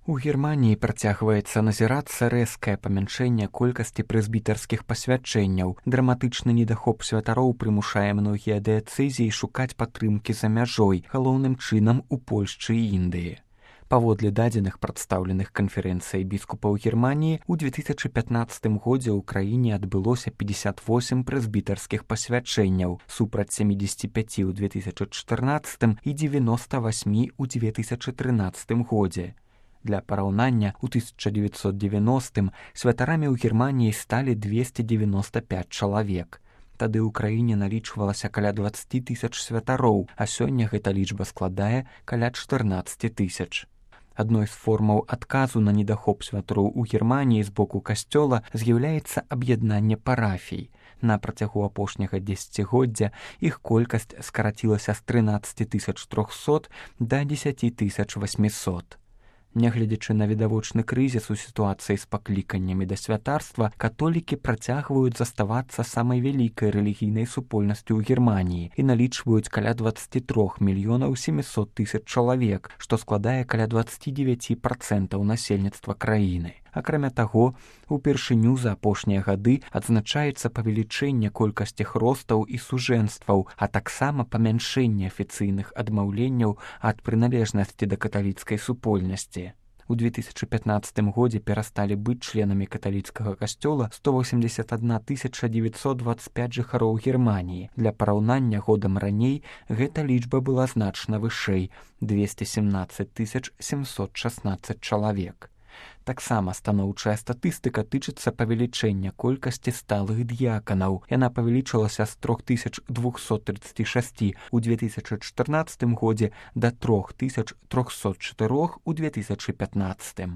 У Германіі працягваецца назірацца рэзкае памяншэнне колькасці прэзбітарскіх пасвячэнняў. Драматычны недахоп святароў прымушае многія дыяцэзіі шукаць падтрымкі за мяжой, галоўным чынам у Польшчы і Індыі. Паводле дадзеных прадстаўленых канферэнцыяй біскупаў Германіі, у 2015 годзе ў краіне адбылося 58 прэзбітарскіх пасвячэнняў, супраць 75 у 2014 і 98 у 2013 годзе. Для параўнання, у 1990 святарамі ў Германіі сталі 295 чалавек. Тады ў краіне налічвалася каля 20 тысяч святароў, а сёння гэта лічба складае каля 14 тысяч. Адной з формаў адказу на недахоп святароў у Германіі з боку касцёла з'яўляецца аб'яднанне парафій. На працягу апошняга дзесяцігоддзя іх колькасць скарацілася з 13 300 да 10 800. Нягледзячы на відавочны крызіс у сітуацыі з пакліканнямі да святарства, католікі працягваюць заставацца самай вялікай рэлігійнай супольнасцю ў Германіі і налічваюць каля 23 мільёнаў 700 тысяч чалавек, што складае каля 29% насельніцтва краіны. Акрамя таго, упершыню за апошнія гады адзначаецца павелічэнне колькасці хростаў і сужэнстваў, а таксама памяншэнне афіцыйных адмаўленняў ад прыналежнасці да каталіцкай супольнасці. У 2015 годзе перасталі быць членамі каталіцкага касцёла 181 925 жыхароў Германіі. Для параўнання годам раней гэта лічба была значна вышэй – 217 716 чалавек. Таксама станоўчая статыстыка тычыцца павелічэння колькасці сталых дыяканаў. Яна павялічылася з 3236 у 2014 годзе да 3304 у 2015.